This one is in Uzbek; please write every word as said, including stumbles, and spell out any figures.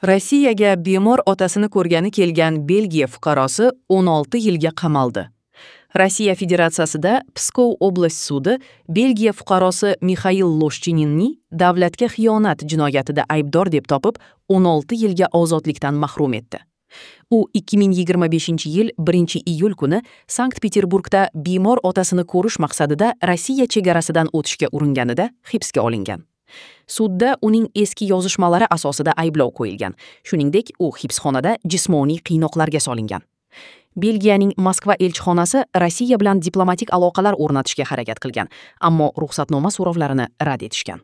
Rossiyaga bemor otasini ko'rgani kelgan Belgiya fuqarosi o'n olti yilga qamaldi. Rossiya Federatsiyasida Pskov oblast sudi Belgiya fuqarosi Mixail Loshchininni davlatga xiyonat jinoyatida aybdor deb topib, o'n olti yilga ozodlikdan mahrum etdi. U ikki ming yigirma beshinchi yil birinchi iyul kuni Sankt-Peterburgda bemor otasini ko'rish maqsadida Rossiya chegarasidan o'tishga uringanida hibsga olingan. Sudda uning eski yozishmalari asosida ayblov qo'yilgan. Shuningdek, u hibsxonada jismoniy qiynoqlarga solingan. Belgiyaning Moskva elchixonasi Rossiya bilan diplomatik aloqalar o'rnatishga harakat qilgan, ammo ruxsatnoma so'rovlarini rad etishgan.